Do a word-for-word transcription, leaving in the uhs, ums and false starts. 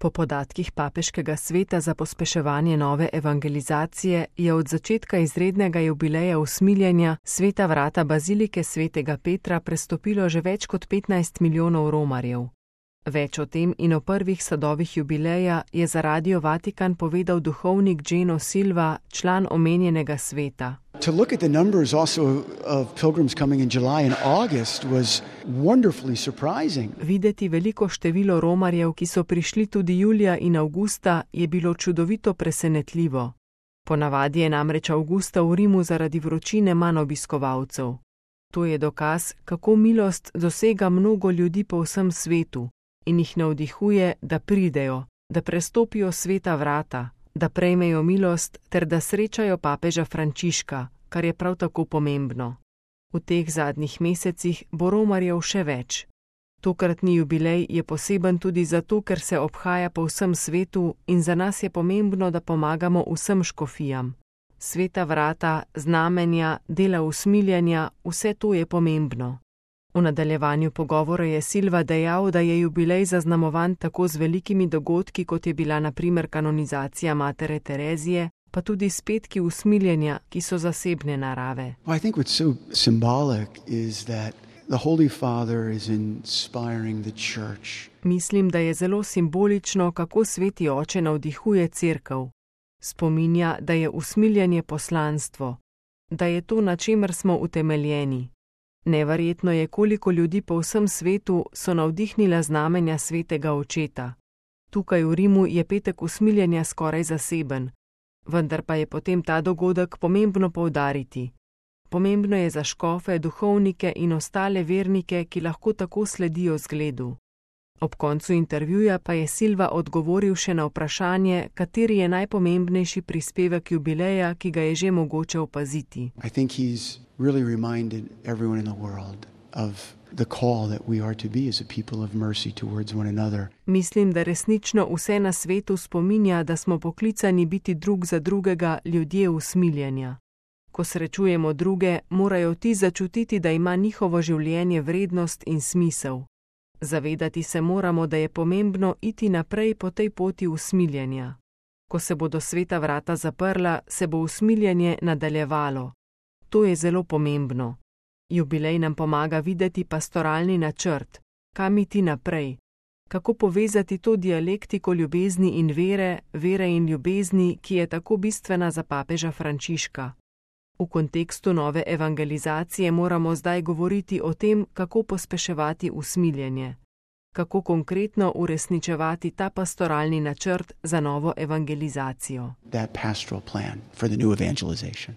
Po podatkih Papeškega sveta za pospeševanje nove evangelizacije je od začetka izrednega jubileja usmiljenja Sveta vrata bazilike svetega Petra prestopilo že več kot petnajst milijonov romarjev. Več o tem in o prvih sadovih jubileja je za Radio Vatikan povedal duhovnik Geno Silva, član omenjenega sveta. To look at the numbers also of pilgrims coming in July and August was wonderfully surprising. Videti veliko število romarjev, ki so prišli tudi julija in avgusta, je bilo čudovito presenetljivo. Ponavadi je namreč avgusta v Rimu zaradi vročine manj obiskovalcev. To je dokaz, kako milost dosega mnogo ljudi po vsem svetu in jih navdihuje, da pridejo, da prestopijo sveta vrata, da prejmejo milost ter da srečajo papeža Frančiška, kar je prav tako pomembno. V teh zadnjih mesecih bo romarjev še več. Tokratni jubilej je poseben tudi zato, ker se obhaja po vsem svetu in za nas je pomembno, da pomagamo vsem škofijam. Sveta vrata, znamenja, dela usmiljanja, vse to je pomembno. V nadaljevanju pogovora je Silva dejal, da je jubilej zaznamovan tako z velikimi dogodki, kot je bila na primer kanonizacija matere Terezije, pa s petki usmiljenja, ki so zasebne narave. Well, I think what's so symbolic is that the Holy Father is inspiring the church. Mislim, da je zelo simbolično, kako sveti oče navdihuje cerkev. Spominja, da je usmiljanje poslanstvo, da je to, na čemer smo utemeljeni. Neverjetno je, koliko ljudi po vsem svetu so navdihnila znamenja svetega očeta. Tukaj v Rimu je petek usmiljenja skoraj zaseben, vendar pa je potem ta dogodek pomembno poudariti. Pomembno je za škofe, duhovnike in ostale vernike, ki lahko tako sledijo zgledu. Ob koncu intervjuja pa je Silva odgovoril še na vprašanje, kateri je najpomembnejši prispevek jubileja, ki ga je že mogoče opaziti. I think he's really reminded everyone in the world of the call that we are to be as a people of mercy towards one another. Mislim, da resnično vse na svetu spominja, da smo poklicani biti drug za drugega ljudje usmiljenja. Ko srečujemo druge, morajo ti začutiti, da ima njihovo življenje vrednost in smisel. Zavedati se moramo, da je pomembno iti naprej po tej poti usmiljenja. Ko se bodo sveta vrata zaprla, se bo usmiljanje nadaljevalo. To je zelo pomembno. Jubilej nam pomaga videti pastoralni načrt, kam iti naprej, kako povezati to dialektiko ljubezni in vere, vere in ljubezni, ki je tako bistvena za papeža Frančiška. V kontekstu nove evangelizacije moramo zdaj govoriti o tem, kako pospeševati usmiljenje, kako konkretno uresničevati ta pastoralni načrt za novo evangelizacijo. That pastoral plan for the new evangelization.